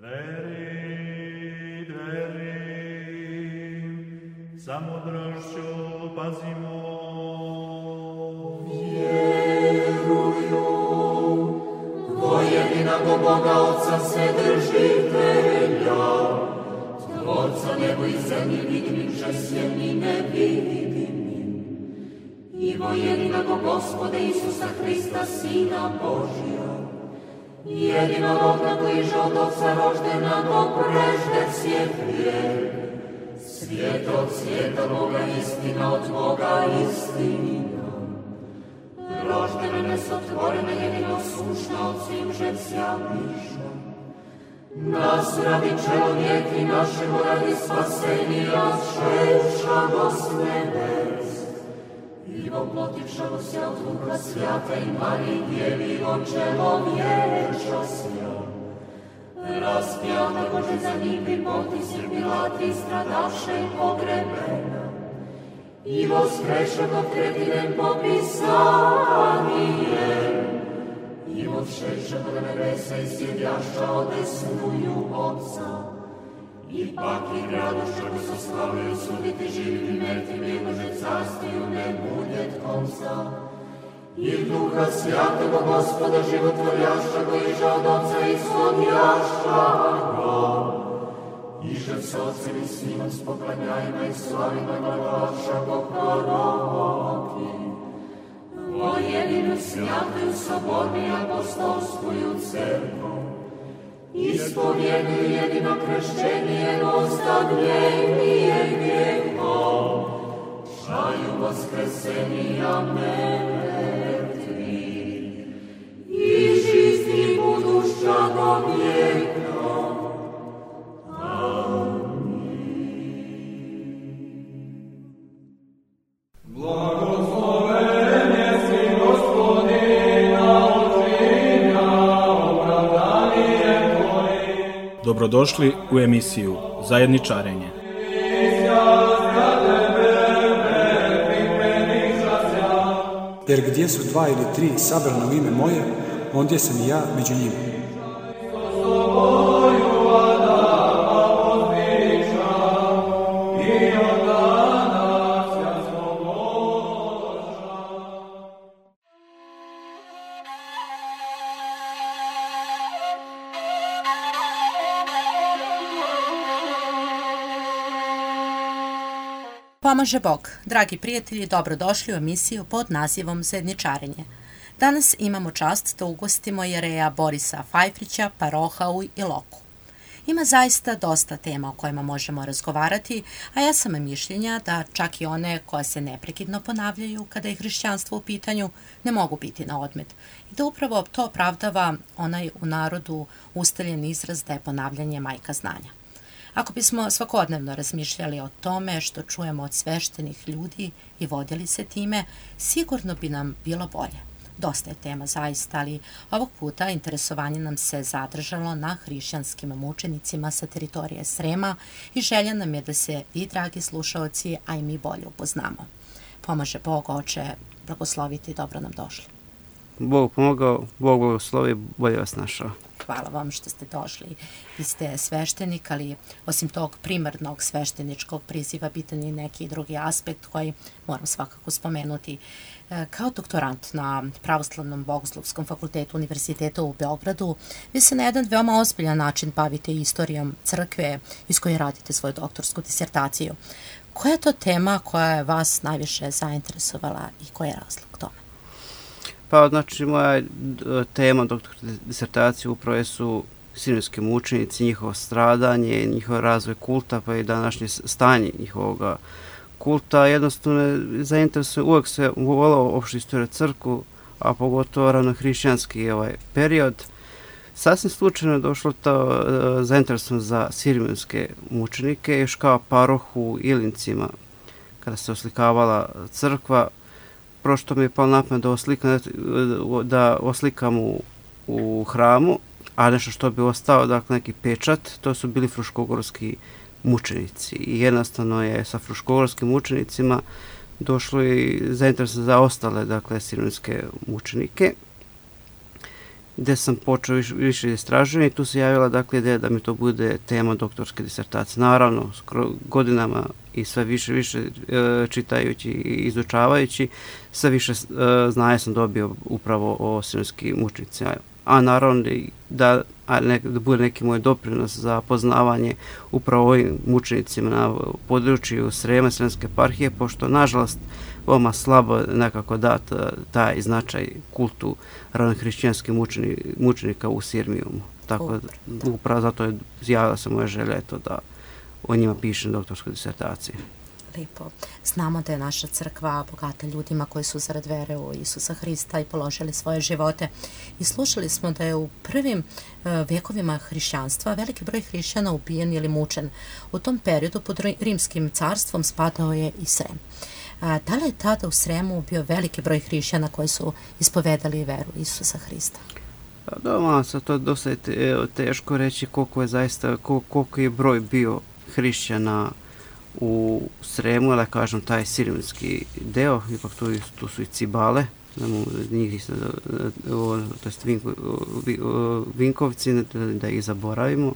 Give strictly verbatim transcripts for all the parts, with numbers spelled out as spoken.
Dveri, dveri, za mudrošću pazimo. Vjeruju, vojedinog Boga Otca Vседržitelja, Tvorca nebo i zemlji vidimim, žesjem i nevidimim, i vojedinog Gospoda Isusa Hrista, Sina Božja, jedinorodna koji je od Otca roždena do prežde svijet vijek, svijet od svijeta Boga, istina od Boga, istina. Roždena, nesotvorena, jedino sušna od svim žesja miša. Nas radi čelovijek i našemu radi spasenija, šećamo s nebes. I voplotivšamo se od Duha Svjata i Marije Djevi od čelovječa sja. Raspjata Bože za njih bi potisir Pilati stradaše i pogrebena. I voskrešanog tretinem po Pisanijem. I odšešanog nebesa i sjedjaša odesnuju Otca. Ipak i gradošću bi se slavio suditi živim i mrtvim, jegože carstiju ne bude konca. I Duha Svjatoga Gospoda životvorjašća go iža od Otca ishodjašća go. Iže s Otcem i Sinom s poklanjajima i slavima glavaša go proroki. O jedinu svjatuju sobornu i apostolskuju crkvu. Ispovjeduju jedino kršćenje, ostavljenije grijehom, šaju vaskrsenija mrtvih, i žizni budušća do vijeka. Dobrodošli u emisiju Zajedničarenje. Jer gdje su dva ili tri sabrana u ime moje, ondje sam i ja među njima. Pomaže Bog. Dragi prijatelji, dobrodošli u emisiju pod nazivom Zajedničarenje. Danas imamo čast da ugostimo jereja Borisa Fajfrića, paroha u Iloku. Ima zaista dosta tema o kojima možemo razgovarati, a ja sam mišljenja da čak i one koje se neprekidno ponavljaju kada je hrišćanstvo u pitanju ne mogu biti na odmet. I da upravo to opravdava onaj u narodu ustaljen izraz da je ponavljanje majka znanja. Ako bismo svakodnevno razmišljali o tome što čujemo od sveštenih ljudi i vodili se time, sigurno bi nam bilo bolje. Dosta je tema zaista, ali ovog puta interesovanje nam se zadržalo na hrišćanskim mučenicima sa teritorije Srema i želja nam je da se vi, dragi slušaoci, a i mi bolje upoznamo. Pomaže Bog, Oče, blagosloviti, dobro nam došli. Bog pomogao, Bog blagoslovi, bolje vas našao. Hvala vam što ste došli. Vi ste sveštenik, ali osim tog primarnog svešteničkog priziva bitan je neki drugi aspekt koji moram svakako spomenuti. Kao doktorant na Pravoslavnom bogoslovskom fakultetu Univerziteta u Beogradu, vi se na jedan veoma ozbiljan način bavite istorijom crkve iz koje radite svoju doktorsku disertaciju. Koja je to tema koja je vas najviše zainteresovala i koji je razlog tome? Pa, znači, moja tema doktorske disertacije upravo su sirijski mučenici, njihovo stradanje, njihov razvoj kulta, pa i današnje stanje njihovog kulta. Jednostavno, zainteresuje, uvijek se volao opštu istoriju crkvu, a pogotovo ranohrišćanski ovaj period. Sasvim slučajno je došlo to zainteresovan za sirijske mučenike, još kao paroh u Ilincima, kada se oslikavala crkva. Prošto mi je palo na pamet da oslikam, da oslikam u, u hramu, a nešto što bi ostao, dakle neki pečat, to su bili fruškogorski mučenici. I jednostavno je sa fruškogorskim mučenicima došlo i zainteresovan za ostale, dakle, sirijske mučenike. gde sam počeo više, više istraživanja i tu se javila dakle ideja da mi to bude tema doktorske disertacije. Naravno, godinama i sve više više e, čitajući i izučavajući, sve više e, znaja sam dobio upravo o sirijskim mučenicima. A naravno da, a ne, da bude neki moj doprinos za poznavanje upravo ovim mučenicima na području Srema, Sremske eparhije, pošto nažalost veoma slabo nekako dat taj značaj kultu ranohrišćanskih mučenika u Sirmijumu. Tako da, upravo zato je zjavila se moja želja eto, da o njima pišem doktorsku disertaciju. Lijepo. Znamo da je naša crkva bogata ljudima koji su zarad vere u Isusa Hrista i položili svoje živote. I slušali smo da je u prvim uh, vjekovima hrišćanstva veliki broj hrišćana ubijen ili mučen. U tom periodu pod rimskim carstvom spadao je i Srem. Uh, da li je tada u Sremu bio veliki broj hrišćana koji su ispovedali veru Isusa Hrista? Da, malo se to dosta je teško reći koliko je zaista, koliko je broj bio hrišćana u Sremu, da kažem, taj sirijski deo, ipak tu, tu su i Cibale, njih, to jest Vinko, Vinkovci, da ih zaboravimo,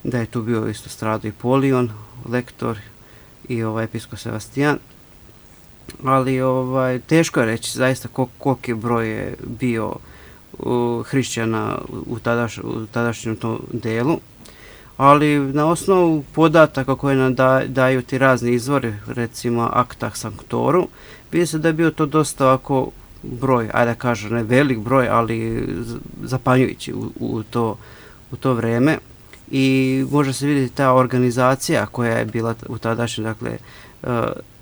da je tu bio isto stradao i Polion, lektor i ovaj episkop Sebastijan, ali ovaj, teško je reći zaista koliki broj je bio uh, hrišćana u, tadaš, u tadašnjem tom delu. Ali na osnovu podataka koje nam da, daju ti razni izvori, recimo Acta Sanctorum, vidi se da je bio to dosta ovako broj, ajde da kažem, ne velik broj, ali zapanjujući u, u, to, u to vreme. I može se vidjeti ta organizacija koja je bila u tadašnjem, dakle, uh,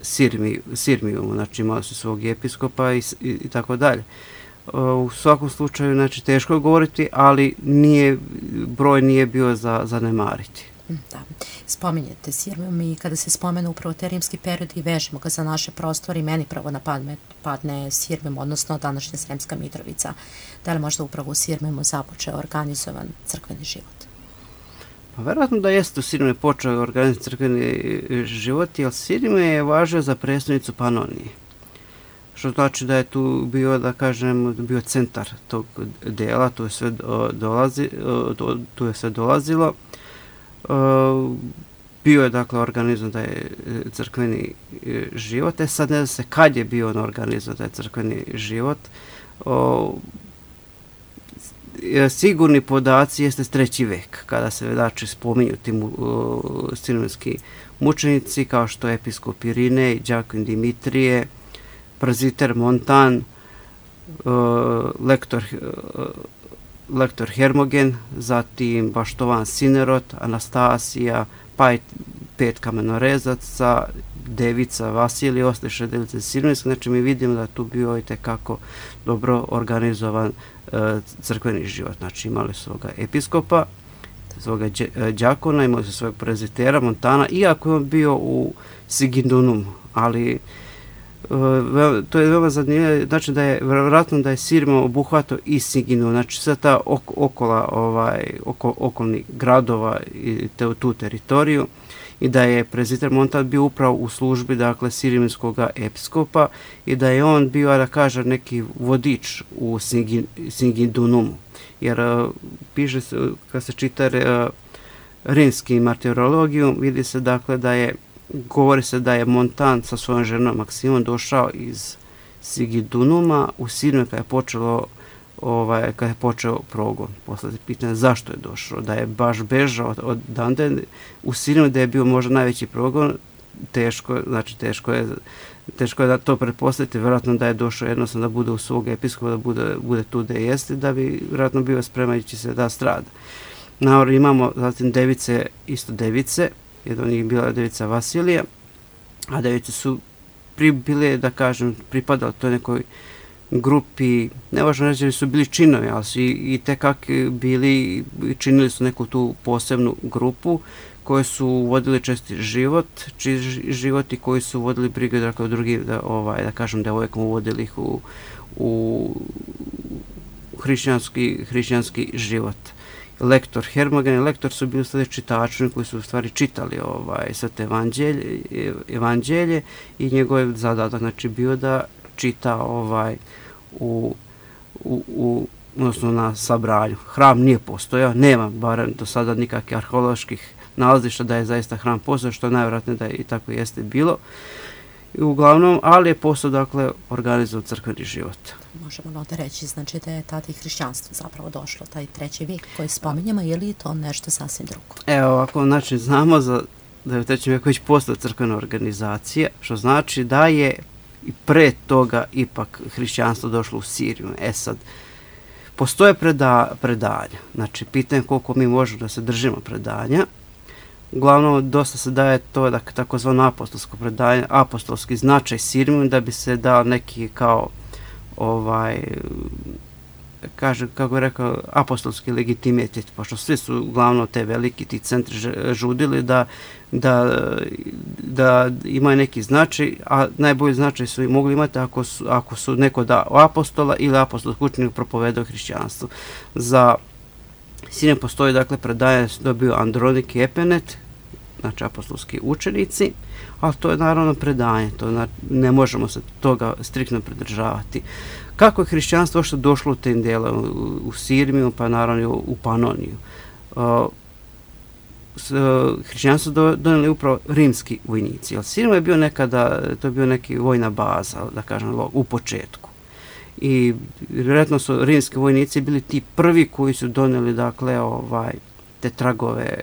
Sirmi, Sirmijumu, znači imali su svog episkopa i, i, i tako dalje. U svakom slučaju, znači, teško je govoriti, ali nije, broj nije bio za zanemariti. Da. Spominjete Sirmijum i kada se spomenu upravo te rimski period i vežemo ga za naše prostore i meni pravo na padne, padne Sirmijum, odnosno današnja Sremska Mitrovica. Da li možda upravo u Sirmijumu započeo organizovan crkveni život? Pa verovatno da jeste u Sirmijumu počeo organizovan crkveni život, jer Sirmijum je važio za prestolnicu Panonije. Što znači da je tu bio, da kažem, bio centar tog dela, tu je sve, dolazi, tu je sve dolazilo. Bio je, dakle, organizovan taj crkveni život. E sad ne zna se kad je bio organizovan taj crkveni život. Sigurni podaci jeste treći vek, kada se znači spominju ti sirijski mučenici, kao što je episkop Irinej, Đakin Dimitrije, prezbiter Montan, uh, lektor, uh, lektor Hermogen, zatim Baštovan Sinerot, Anastasija, pa i pet kamenorezaca, devica Vasilij, ostale device Sirijske. Znači mi vidimo da tu bio i tekako dobro organizovan uh, crkveni život. Znači imali su svoga episkopa, svoga đakona, imali su svojeg prezbitera Montana, iako je on bio u Sigindunum, ali to je veoma zanimljivo, znači da je vjerojatno da je Sirmijum obuhvatao i Sigindunum, znači sve ta ok, okola, ovaj, oko, okolnih gradova i te, tu teritoriju, i da je prezbiter Montan bio upravo u službi, dakle, sirijskog episkopa i da je on bio, da kaže, neki vodič u Sigindunumu. Jer uh, piše se, kad se čita uh, rimski martirologiju, vidi se, dakle, da je govori se da je Montan sa svojom ženom Maksimom došao iz Sigindunuma u Sirmiju kada je počelo ovaj, kada je počeo progon. Posle se pitanje zašto je došao, da je baš bežao od, od Dande u Sirmiju, da je bio možda najveći progon, teško, znači teško je teško je da to pretpostaviti, vjerojatno da je došao jednostavno da bude u svog episkopa, da bude, bude tu da jeste, da bi vjerojatno bio spremajući se da strada. Naravno imamo zatim device, isto device, jedna od njih bila devica Vasilija, a device su pri, bile, da kažem, pripadali toj nekoj grupi, ne važno reći da su bili činovi, ali su i, i tekak bili, činili su neku tu posebnu grupu koji su vodili česti život, čiji život i koji su vodili brigu dakle, o drugim, da, ovaj, da kažem, devojkom, uvodili ih u, u hrišćanski, hrišćanski život. Lektor Hermogen i lektor su bili stvari čitači koji su u stvari čitali ovaj, sve te evanđelje, evanđelje i njegov je zadatak znači bio da čita ovaj, u, u, u odnosno na sabranju. Hram nije postojao, nema barem do sada nikakvih arheoloških nalazišta da je zaista hram postojao, što je najvjerojatnije da je i tako jeste bilo. I uglavnom, ali je postao, dakle, organizovao crkveni život. Možemo onda reći, znači da je tada i hrišćanstvo zapravo došlo, taj treći vijek koji spominjamo, je li to nešto sasvim drugo? Evo ovako, znači znamo za, da je u trećem vijeku već postala crkvena organizacija, što znači da je i pre toga ipak hrišćanstvo došlo u Siriju. E sad, postoje preda, predanja, znači pitanje koliko mi možemo da se držimo predanja. Uglavnom, dosta se daje to da takozvano apostolsko predanje, apostolski značaj Sirijom, da bi se dao neki kao ovaj, kaže, kako je rekao, apostolski legitimitet, pošto svi su uglavnom te veliki ti centri žudili da, da, da imaju neki značaj, a najbolji značaj su i mogli imati ako su, ako su neko da apostola ili apostolski učenik propovedao hrišćanstvo. Za Sirijem postoji, dakle, predanje su dobio Andronik i Epenet, znači apostolski učenici, ali to je naravno predanje, to ne možemo se toga striktno pridržavati. Kako je hrišćanstvo što došlo u tim dijela, u, u Sirmiju, pa naravno u Panoniju? Uh, s, uh, hrišćanstvo do, donijeli upravo rimski vojnici, jer Sirima je bio nekada, to je bio neki vojna baza, da kažem, u početku. I vjerojatno su rimski vojnici bili ti prvi koji su donijeli, dakle, ovaj, te tragove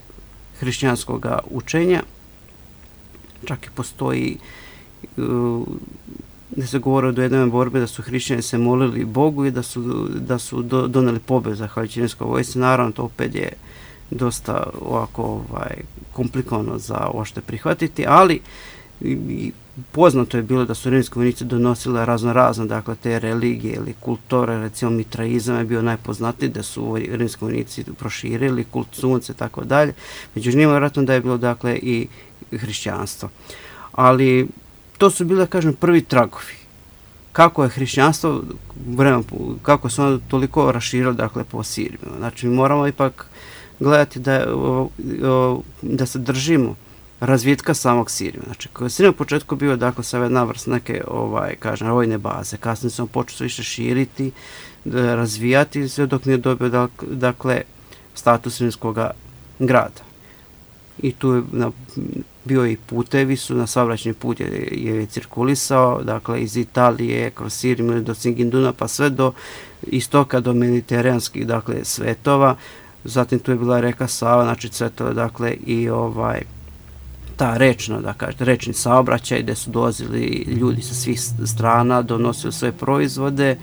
hrišćanskog učenja. Čak i postoji uh, da se govore do jedne borbe da su hrišćani se molili Bogu i da su, da su do, donijeli pobjedu zahvaljujući rimskoj vojsci. Naravno, to opet je dosta ovako ovaj, komplikovano za ošte prihvatiti, ali i, poznato je bilo da su rimski vojnici donosili razno razno, dakle, te religije ili kulture, recimo mitraizam je bio najpoznatiji, da su rimski vojnici proširili kult sunce i tako dalje. Među njima vjerojatno da je bilo, dakle, i hrišćanstvo. Ali to su bile, kažem, prvi tragovi. Kako je hrišćanstvo, vremen, kako se ono toliko raširilo, dakle, po Siriji. Znači, mi moramo ipak gledati da, da se držimo razvitka samog Sirija. Znači, koji je Sirija u početku bio, dakle, sa jedna vrst neke, ovaj, kažem, vojne baze. Kasnije se on počeo više širiti, razvijati, sve dok nije dobio, dakle, status rimskog grada. I tu je na, bio i putevi su, na saobraćajni put je, je cirkulisao, dakle, iz Italije, kroz Siriju do Singinduna, pa sve do istoka, do mediteranskih, dakle, svetova. Zatim tu je bila reka Sava, znači cvetova, dakle, i ovaj, ta rečna, da kažete, rečni saobraćaj gdje su dolazili ljudi sa svih strana, donosili svoje proizvode. E,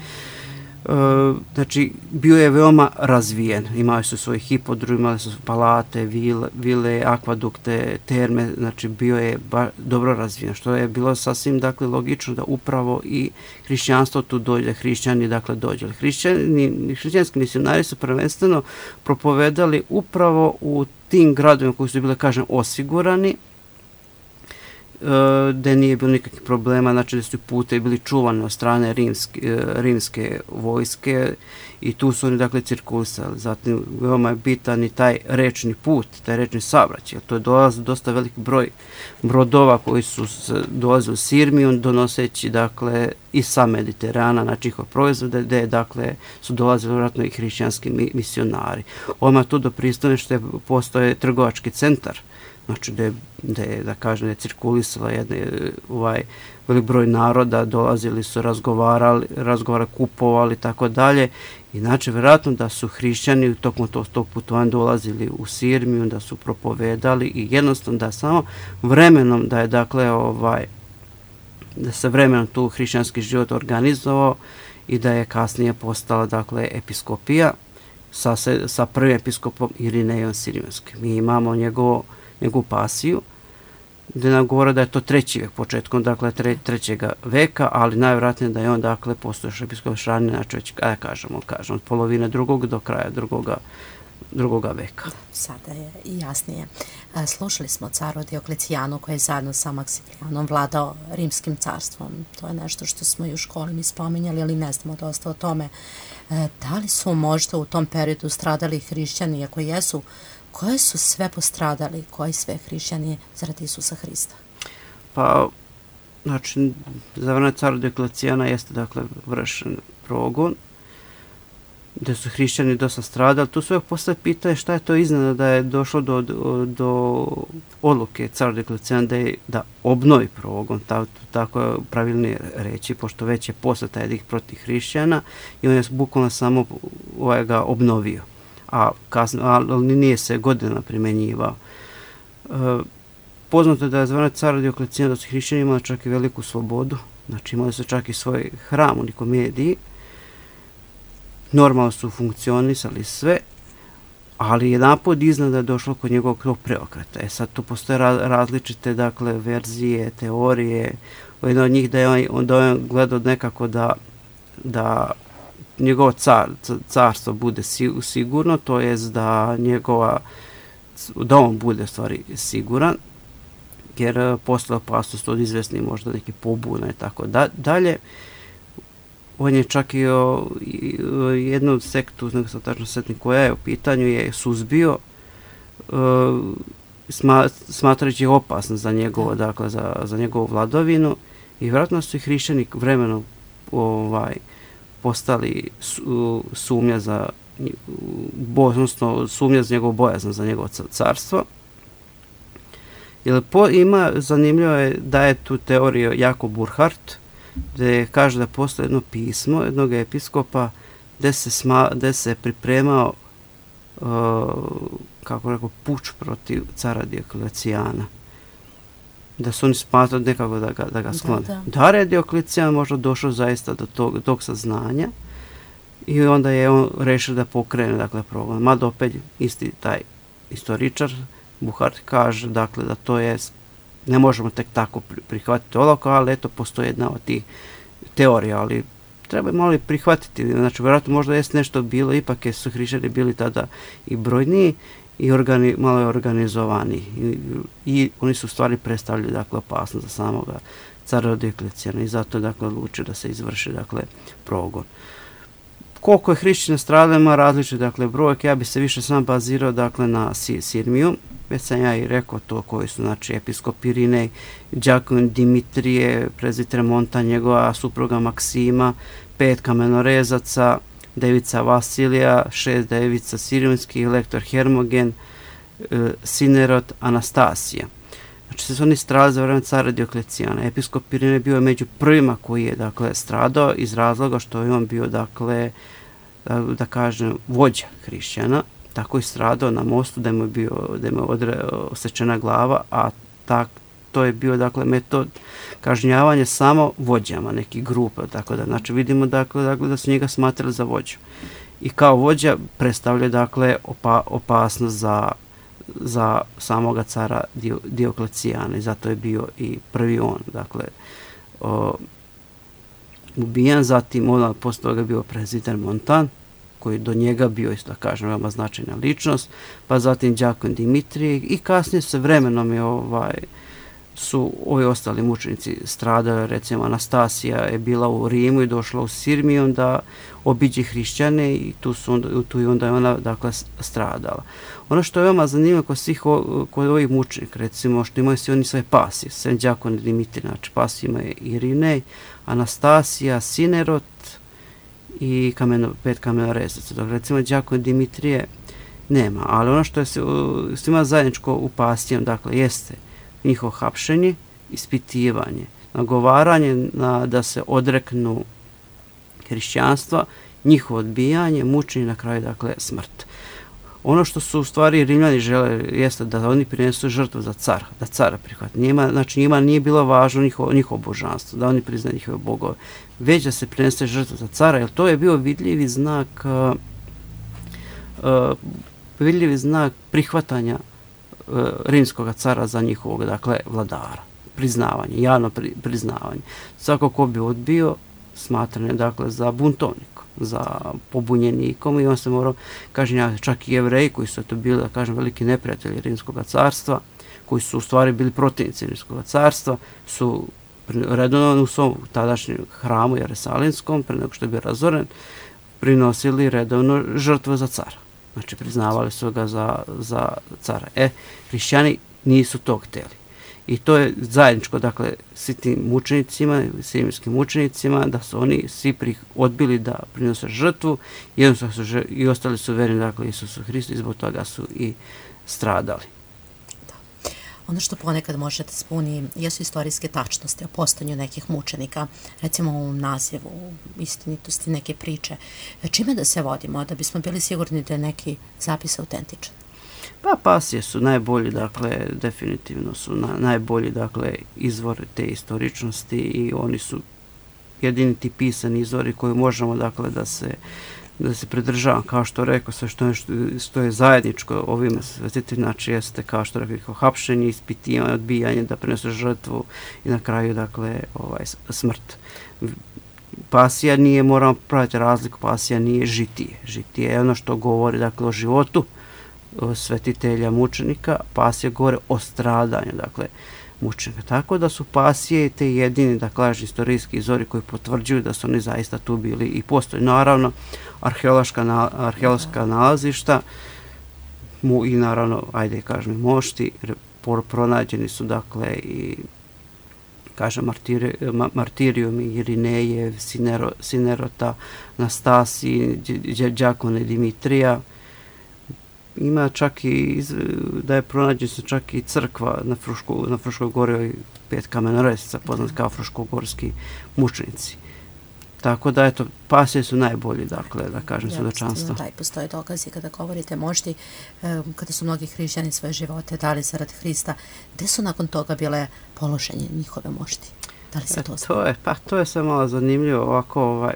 znači, bio je veoma razvijen. Imali su svoje hipodrom, imali su palate, vile, vile, akvadukte, terme, znači bio je ba, dobro razvijen, što je bilo sasvim, dakle, logično da upravo i hrišćanstvo tu dođe, hrišćani, dakle, dođe. Hrišćani, hrišćanski misionari su prvenstveno propovedali upravo u tim gradovima koji su bile, kažem, osigurani, gdje nije bilo nikakvih problema, znači da su pute bili čuvani od strane rimske, rimske vojske i tu su oni, dakle, cirkulisali. Zatim veoma je bitan i taj rečni put, taj rečni saobraćaj. To je dolazio dosta veliki broj brodova koji su dolazili u Sirmiju, donoseći, dakle, i sa Mediterana, znači njihove proizvode, gdje, dakle, su dolazili vjerojatno i hrišćanski misionari. Odmah tu do pristaništa postoje trgovački centar, znači da je, da je, da kažem, je cirkulisala jedna, ovaj, velik broj naroda, dolazili su, razgovarali, razgovarali, kupovali, tako dalje. Inače, vjerojatno da su hrišćani tokom tog, tog putovanja dolazili u Sirmiju, da su propovedali i jednostavno da samo vremenom, da je, dakle, ovaj, da se vremenom tu hrišćanski život organizovao i da je kasnije postala, dakle, episkopija sa, sa prvim episkopom Irinejom Sirijanskim. Mi imamo njegovo njegovu pasiju, gdje nam govore da je to treći vek, početkom, dakle, tre, trećega veka, ali najvjerojatnije da je on, dakle, postojeći episkop Šarnije, znači već, kada kažemo, kažemo, od polovine drugog do kraja drugoga, drugoga veka. Sada je i jasnije. Slušali smo caru Dioklecijanu koji je zajedno sa Maksimijanom vladao rimskim carstvom. To je nešto što smo i u školi mi spominjali, ali ne znamo dosta o tome. Da li su možda u tom periodu stradali hrišćani, ako jesu, koje su sve postradali, koji sve hrišćani zaradi Isusa Hrista? Pa, znači, za vreme cara Dioklecijana jeste, dakle, vršen progon gdje su hrišćani dosta stradali. Tu se uvijek postavlja pitanje šta je to iznenada da je došlo do, do, do odluke cara Dioklecijana da, da obnovi progon, ta, tako je pravilnije reći, pošto već je posle taj edikt protiv hrišćana i on je bukvalno samo ovaj, ga obnovio, a kasno, ali nije se godina primjenjivao. E, poznato je da je zvane cara Dioklecijana da su hrišćani imali čak i veliku slobodu, znači imali su čak i svoj hram u Nikomediji, normalno su funkcionisali sve, ali jedan put iznad je došlo kod njegovog tog preokreta. E sad tu postoje različite dakle, verzije, teorije. Jedna od njih da je on, da on gledao nekako da, da njegovo car, carstvo bude sigurno, to jest da njegova, da on bude stvari siguran, jer posle opasnost od izvesni možda neki pobuna i tako da, dalje. On je čak i o, i, o jednu sektu, nego sam tačno setnik koja je u pitanju, je suzbio uh, sma, smatrajući opasno za njegovo, dakle, za, za njegovu vladovinu i vjerojatno su i hrišćani vremenom ovaj, postali su, sumnja za odnosno sumnja za njegovu bojaznost za njegovo carstvo. Jer po, ima, zanimljivo je da je tu teoriju Jakob Burckhardt, gdje kaže da postoje jedno pismo jednog episkopa gdje se, sma, gdje se pripremao uh, kako rekao, puč protiv cara Dioklecijana. Da su oni smatrali nekako da ga, da ga sklone. Da, da. da je Dioklecijan možda došao zaista do tog, tog saznanja i onda je on rešio da pokrene dakle, progon. Mada opet isti taj istoričar Burckhardt kaže dakle, da to je ne možemo tek tako prihvatiti olako, ali eto, postoji jedna od tih teorija, ali treba malo prihvatiti. Znači, vjerojatno možda jest nešto bilo, ipak je su hrišćani bili tada i brojniji i organi, malo je organizovani. I, I oni su u stvari predstavljali, dakle, opasnost za samoga cara Dioklecijana i zato je, dakle, odlučio da se izvrši, dakle, progon. Koliko je hrišćana stradalo, ima različite, dakle, brojke, ja bi se više sam bazirao, dakle, na Sirmiju. Već sam ja i rekao to koji su, znači, episkop Irinej, Đakon Dimitrije, prezbiter Montan, njegova supruga Maksima, pet kamenorezaca, devica Vasilija, šest devica Sirijskih, lektor Hermogen, e, Sinerot, Anastasija. Znači, se su oni stradali za vreme cara Dioklecijana. Episkop Irinej bio je među prvima koji je, dakle, stradao iz razloga što je on bio, dakle, da, da kažem, vođa hrišćana. Tako je stradao na mostu da mu je bio, da mu je odre, osečena glava, a tak, to je bio, dakle, metod kažnjavanja samo vođama nekih grupa, tako da, znači, vidimo, dakle, dakle, da su njega smatrali za vođu. I kao vođa predstavlja, dakle, opa, opasnost za, za samoga cara Dio, Dioklecijana i zato je bio i prvi on, dakle, o, ubijan, zatim on posle toga bio prezbiter Montan, koji do njega bio, isto da kažem, veoma značajna ličnost, pa zatim Đakon Dimitrije i kasnije se vremenom je ovaj, su ovi ostali mučenici stradali, recimo Anastasija je bila u Rimu i došla u Sirmiju da obiđe hrišćane i tu, su onda, tu i onda je ona, dakle, stradala. Ono što je veoma zanimljivo kod svih o, kod ovih mučenika, recimo što imaju svi oni svoje pasije, sem Đakon Dimitrije, znači pasije imaju Irinej, Anastasija, Sinerot, i kameno, pet kamenorezaca. Dok recimo Đakon Dimitrije nema, ali ono što je svima zajedničko u pasijama, dakle, jeste njihovo hapšenje, ispitivanje, nagovaranje na, da se odreknu hrišćanstva, njihovo odbijanje, mučenje, na kraju, dakle, smrt. Ono što su u stvari Rimljani žele jeste da oni prinesu žrtvu za cara, da cara prihvati. Njima, znači njima nije bilo važno njihovo, njihovo božanstvo, da oni priznaju njihove bogove, već da se prinese žrtva za cara, jer to je bio vidljivi znak uh, uh, vidljivi znak prihvatanja uh, rimskog cara za njihovog, dakle, vladara. Priznavanje, javno pri, priznavanje. Svako ko bi odbio, smatran je, dakle, za buntovnik, za pobunjenikom i on se morao kažnjavati. Čak i Jevreji koji su to bili, da kažem, veliki neprijatelji Rimskog carstva, koji su u stvari bili protivnici Rimskog carstva, su redovno u svom tadašnjem hramu Jerusalinskom, pre nego što je bio razoren, prinosili redovno žrtvu za cara. Znači, priznavali su ga za, za cara. E, hrišćani nisu to htjeli. I to je zajedničko, dakle, svi tim mučenicima, sirijskim mučenicima, da su oni svi pri, odbili da prinose žrtvu, jednostavno su žr, i ostali su verni, dakle, Isusu Hristu i zbog toga su i stradali. Ono što ponekad može da spuni jesu istorijske tačnosti o postojanju nekih mučenika, recimo u nazivu, istinitosti neke priče. Čime da se vodimo, da bismo bili sigurni da je neki zapis autentičan? Pa pasije su najbolji, dakle, definitivno su na, najbolji, dakle, izvor te istoričnosti i oni su jedini ti pisani izvori koji možemo, dakle, da se da se pridržavam, kao što rekao, sve što je, što je zajedničko ovime svetiteljima, znači jeste, kao što rekao, hapšenje, ispitivanje, odbijanje, da prinese žrtvu i na kraju, dakle, ovaj, smrt. Pasija nije, moramo praviti razliku, pasija nije žitije. Žitije je ono što govori, dakle, o životu svetitelja mučenika, pasija govori o stradanju, dakle, mučenika. Tako da su pasije te jedini, da kažem, istorijski izvori koji potvrđuju da su oni zaista tu bili i postoji. Naravno, arheološka, na, arheološka nalazišta mu i naravno, ajde kažem, mošti, pronađeni su, dakle, i kažem, martiri, martirijumi Irineje, Sinero, Sinerota, Nastasiji, Đakone Dimitrija. Ima čak i, da je pronađen se čak i crkva na, Fruško, na Fruškoj gori, pet kamenoresaca, poznat kao fruškogorski mučenici. Tako da, eto, pasije su najbolji, dakle, da kažem, ja, svedočanstvo. Da, i postoje dokazi kada govorite mošti, kada su mnogi hrišćani svoje živote dali zarad Hrista, gde su nakon toga bile položenje njihove mošti? Da li se e, to zna? To je, pa to je sve malo zanimljivo, ovako, ovaj,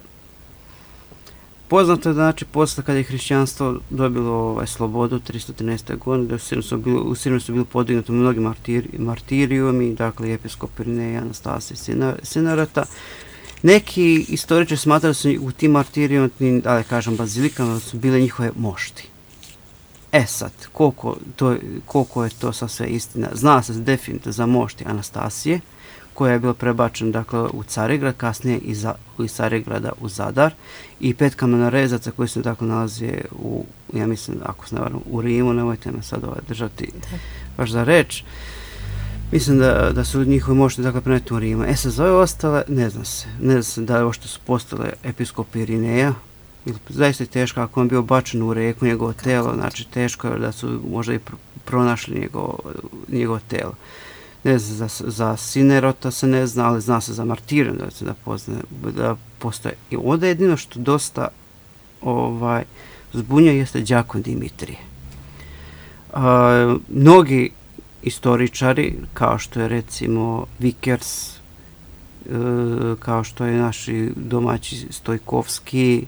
poznato je, znači, posle kada je hrišćanstvo dobilo ovaj, slobodu tristo trinaeste. godine, da su bili, u Siriju su bili podignuti mnogi martiri, martirijumi, dakle, episkop Irineja, Anastasije, Sinerota. Neki istoričari smatraju da su u tim martirijama, da kažem, bazilikama, su bile njihove mošti. E sad, koliko, to, koliko je to sa sve istina? Zna se definitivno za mošti Anastasije, koja je bila prebačena, dakle, u Carigrad, kasnije iz, iz Carigrada u Zadar, i pet kamenorezaca koji se, dakle, nalaze u, ja mislim, ako se ne varam, u Rimu, nemojte me sad ovaj držati baš za reč. Mislim da, da su njihovi mošti, dakle, preneti u Rimu. E sad, za ove ostale, ne zna se. Ne zna se da je ovo što su postale episkopi Irineja, zaista je teško, ako on bio bačen u reku, njegovo telo, znači teško je da su možda i pronašli njegovo, njegovo telo. Ne zna, za, za Sinerota se ne zna, ali zna se za martirijum da se da, pozna, da postoje. I ovdje jedino što dosta ovaj, zbunja jeste Đakon Dimitrije. A, mnogi istoričari, kao što je recimo Vickers, e, kao što je naši domaći Stojkovski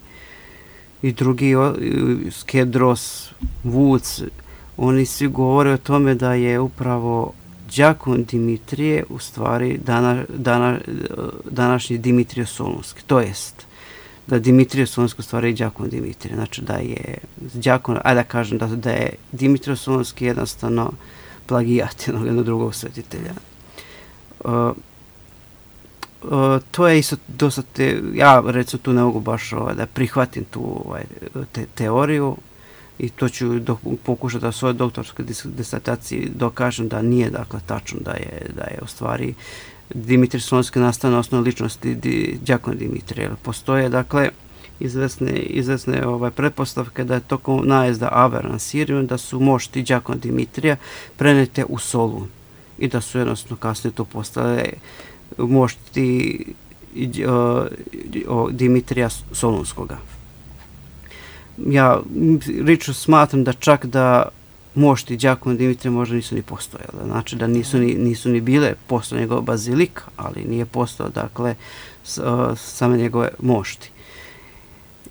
i drugi, o, Skedros, Vuc, oni svi govore o tome da je upravo Đakon Dimitrije u stvari dana, dana, današnji Dimitrije Solunski, to jest da Dimitrije Solunski u stvari je Đakon Dimitrije, znači da je Đakon, ajde da kažem da, da je Dimitrije Solunski jednostavno plagijat jednog, jednog drugog svetitelja. Uh, uh, to je isto dosta, te, ja recimo tu ne mogu baš ovaj, da prihvatim tu ovaj, te, teoriju, i to ću do, pokušati da u svojoj doktorskoj disertaciji dokažem da nije, dakle, tačno da je, da je u stvari Dimitrije Solunski nastao na osnovu ličnosti di, Đakona Dimitrija. Postoje, dakle, izvesne, izvesne ovaj, pretpostavke da je tokom najezda Avera na Siriju, da su mošti Đakona Dimitrija prenete u Solun i da su jednostavno kasnije to postale mošti o, o, Dimitrija Solunskoga. Ja lično smatram da čak da mošti Đakona Dimitrija možda nisu ni postojale. Znači da nisu ni, nisu ni bile postojale njegove bazilika, ali nije postojala, dakle, s, uh, same njegove mošti.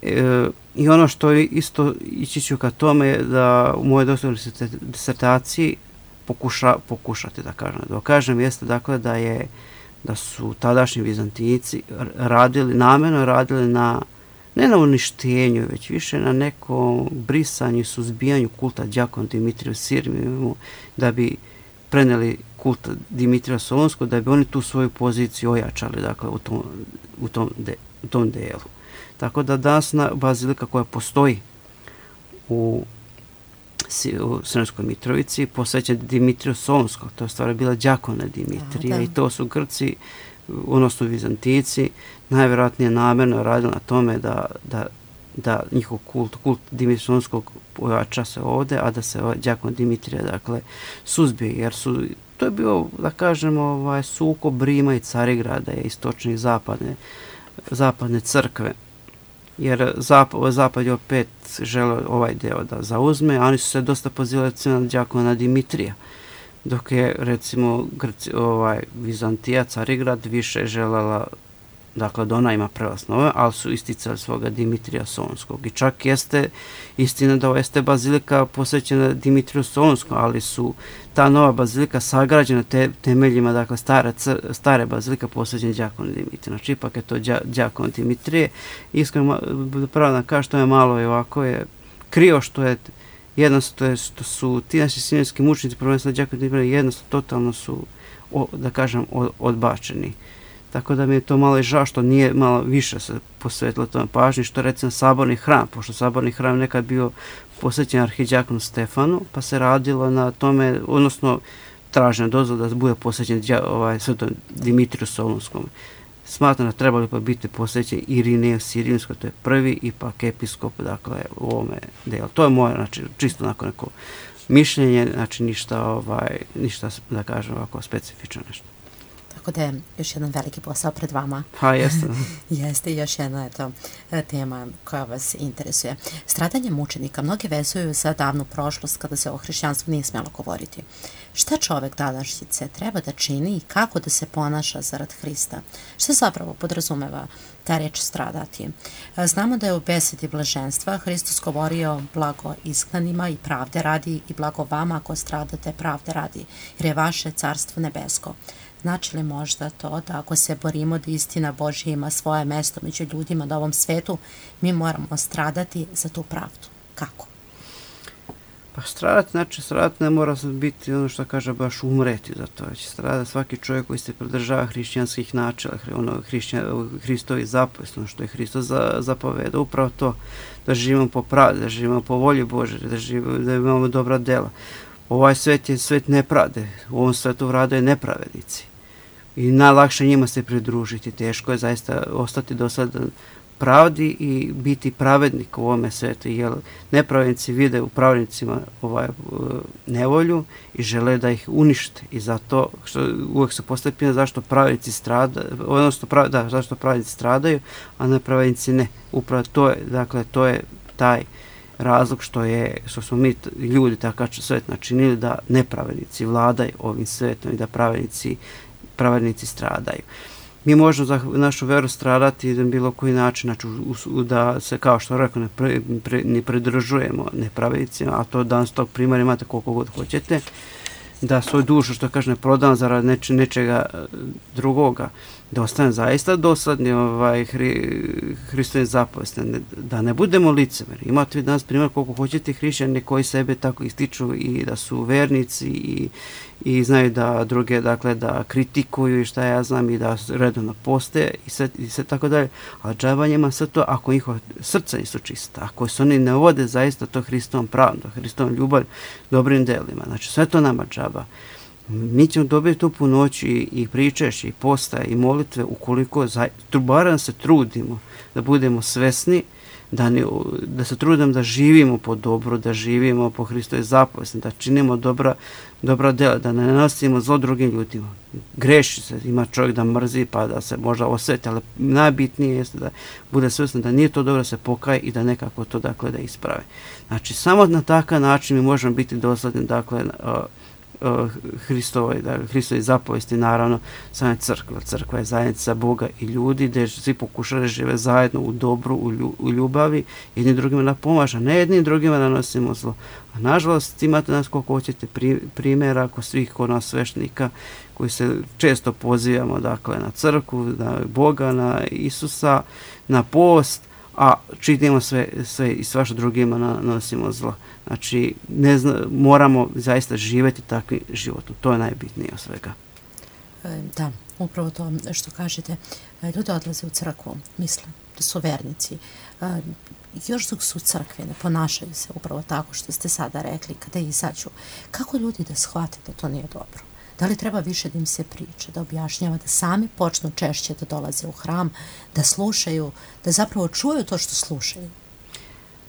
E, I ono što isto ići ću ka tome je da u mojoj doktorskoj disertaciji pokuša, pokušati da kažem, da kažem jeste, dakle, da je da su tadašnji Vizantijci radili, namjerno radili na ne na uništenju, već više na nekom brisanju i suzbijanju kulta Đakona Dimitrija u Siriju, da bi preneli kulta Dimitrija Solunskog, da bi oni tu svoju poziciju ojačali, dakle, u tom, u tom, de, u tom delu. Tako da danas bazilika koja postoji u u Sremskoj Mitrovici, posvećen Dimitriju Solunskog, to je stvari bila đakona Dimitrija, i to su Grci, odnosno Vizantici, najvjerojatnije namjerno radili na tome da, da, da njihov kult, kult Dimitrija Solunskog pojača se ovdje, a da se ovaj đakon Dimitrija, dakle, suzbije, jer su, to je bio, da kažemo, ovaj, sukob Rima i Carigrada, istočne i zapadne, zapadne crkve, jer zapad, zapad je opet želeo ovaj deo da zauzme, a oni su se dosta pozivali na đakona Dimitrija, dok je, recimo, Grci, ovaj, Vizantija, Carigrad, više želela, dakle, da ona ima prelaz nove, ali su isticali svoga Dimitrija Solunskog. I čak jeste istina da jeste bazilika posvećena Dimitriju Solunskom, ali su ta nova bazilika sagrađena te, temeljima, dakle, stare, stare bazilika posvećena đakonu Dimitriju. Znači, ipak je to đakon Dimitrije. Iskreno, pravo da kažem, što je malo i ovako je krio, što je jednostavno, što su ti naši sinjski mučnici, prvenstveno đakon Dimitrije, jednostavno, totalno su, o, da kažem, odbačeni. Tako da mi je to malo i žao što nije malo više se posvetilo tome pažnji, što recimo Saborni hram, pošto Saborni hram nekad bio posvećen arhidjakonu Stefanu, pa se radilo na tome, odnosno tražena dozvola da bude posvećen ovaj, svetom Dimitriju Solunskom. Smatram da trebali pa biti posvećen Irineju Sirijskoj, to je prvi ipak episkop, dakle, u ovome delu. To je moje, znači, čisto onako neko mišljenje, znači ništa, ovaj, ništa, da kažem, ovako specifično nešto. Tako da je još jedan veliki posao pred vama. Pa jeste. Jeste još jedna eto, tema koja vas interesuje. Stradanje mučenika mnogi vezuju za davnu prošlost kada se o hrišćanstvu nije smjelo govoriti. Šta čovek današnjice treba da čini i kako da se ponaša zarad Hrista? Šta zapravo podrazumeva ta reč stradati? Znamo da je u besedi blaženstva Hristos govorio blago izgnanima i pravde radi i blago vama ako stradate pravde radi, jer je vaše carstvo nebesko. Znači li možda to da ako se borimo da istina Božja ima svoje mesto među ljudima na ovom svetu, mi moramo stradati za tu pravdu? Kako? Pa stradati, znači stradati ne mora biti ono što kaže baš umreti za to. Znači stradati svaki čovjek koji se pridržava hrišćanskih načela, ono, hrišćan, Hristovi zapovesti, ono što je Hristos za, zapoveda, upravo to, da živimo po pravdi, da živimo po volji Božje, da, živimo, da imamo dobra dela. Ovaj svet je svet nepravde, u ovom svetu vladaju nepravednici. I najlakše njima se pridružiti, teško je zaista ostati dosadan pravdi i biti pravednik u ovome svetu, jer nepravednici vide u pravednicima ovaj, nevolju i žele da ih unište. I zato što uvijek se postavlja pitanje zašto pravednici stradaju, odnosno prav, da, zašto pravednici stradaju, a nepravednici ne. Upravo to je, dakle, to je taj razlog što je, što smo mi ljudi takav svet načinili da nepravednici vladaju ovim svetom i da pravednici, pravednici stradaju. Mi možemo za našu veru stradati na bilo koji način, znači da se, kao što rekao, ne, pre, pre, ne pridržujemo nepravednicima, a to danas tog primjera imate koliko god hoćete, da svoju dušu, što kaže, ne prodam zarad neče, nečega drugoga, da ostane zaista dosadni ovaj, hri, Hristovim zapovesti, da ne budemo licemeri. Imate danas primjer koliko hoćete hrišćani koji sebe tako ističu i da su vernici i, i znaju da druge, dakle, da kritikuju i šta ja znam i da redovno poste i sve, i sve tako dalje. A džaba njima sve to ako njihova srca nisu čista, ako se oni ne vode zaista to Hristovom pravdom, Hristovom ljubav, dobrim delima. Znači sve to nama džaba. Mi ćemo dobiti tu punoć i, i pričešće, i postaje, i molitve, ukoliko za, barem se trudimo da budemo svesni, da, ne, da se trudimo da živimo po dobro, da živimo po Hristovoj zapovesti, da činimo dobra, dobra dela, da ne nanosimo zlo drugim ljudima. Greši se, ima čovjek da mrzi pa da se možda osveti, ali najbitnije jeste da bude svesno da nije to dobro, da se pokaje i da nekako to, dakle, da isprave. Znači, samo na takav način mi možemo biti dosledni, dakle, Hristovoj, da, Hristovoj zapovesti, naravno, same crkva. Crkva je zajednica Boga i ljudi, gdje svi pokušaju da žive zajedno u dobru, u, lju, u ljubavi, jedni drugima da pomažu, ne jedni drugima da nosimo zlo. A nažalost, imate nas koliko hoćete pri, primjera kod svih kod nas sveštenika, koji se često pozivamo, dakle, na crkvu, na Boga, na Isusa, na post, a čitimo sve, sve i svašta drugima nanosimo zlo. Znači, ne zna, moramo zaista živjeti takvim životom. To je najbitnije od svega. Da, upravo to što kažete. Ljudi odlaze u crkvu, misle da su vernici. još dok su u crkvi, ne ponašaju se upravo tako što ste sada rekli, kada izađu, kako ljudi da shvate da to nije dobro? Da li treba više da im se priča, da objašnjava, da sami počnu češće da dolaze u hram, da slušaju, da zapravo čuju to što slušaju?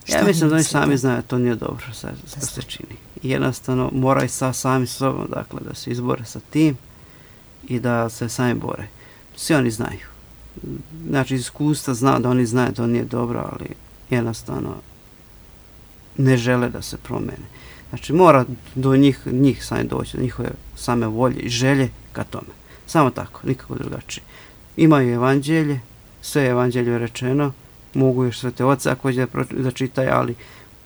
Ja mislim da oni sami znaju da to nije dobro što se čini. Jednostavno moraju sa sami sobom, dakle, da se izbore sa tim i da se sami bore. Svi oni znaju. Znači, iskustva zna da oni znaju da to nije dobro, ali jednostavno ne žele da se promene. Znači, mora do njih, njih sami doći, do njihove same volje i želje ka tome. Samo tako, nikako drugačije. Imaju evanđelje, sve je evanđelje rečeno, mogu još Svete Oce ako će da čitaju, ali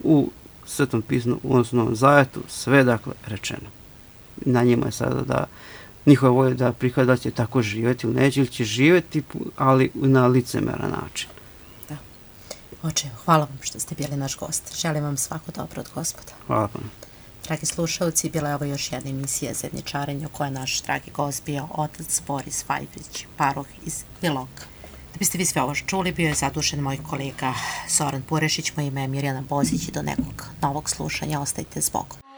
u Svetom pismu, u Novom Zavetu, sve dakle rečeno. Na njima je sada da njihove volje da prihvate da će tako živjeti ili neće, ili će živjeti, ali na licemeran način. Da. Oče, hvala vam što ste bili naš gost. Želim vam svako dobro od Gospoda. Hvala vam. Dragi slušalci, bila je ovo još jedna emisija Zajedničarenja u kojoj je naš dragi gost bio otac Boris Fajfrić, paroh iz Iloka. Da biste vi sve ovo čuli, bio je zadužen moj kolega Zoran Purešić, moje ime je Mirjana Bozić i do nekog novog slušanja ostajte s Bogom.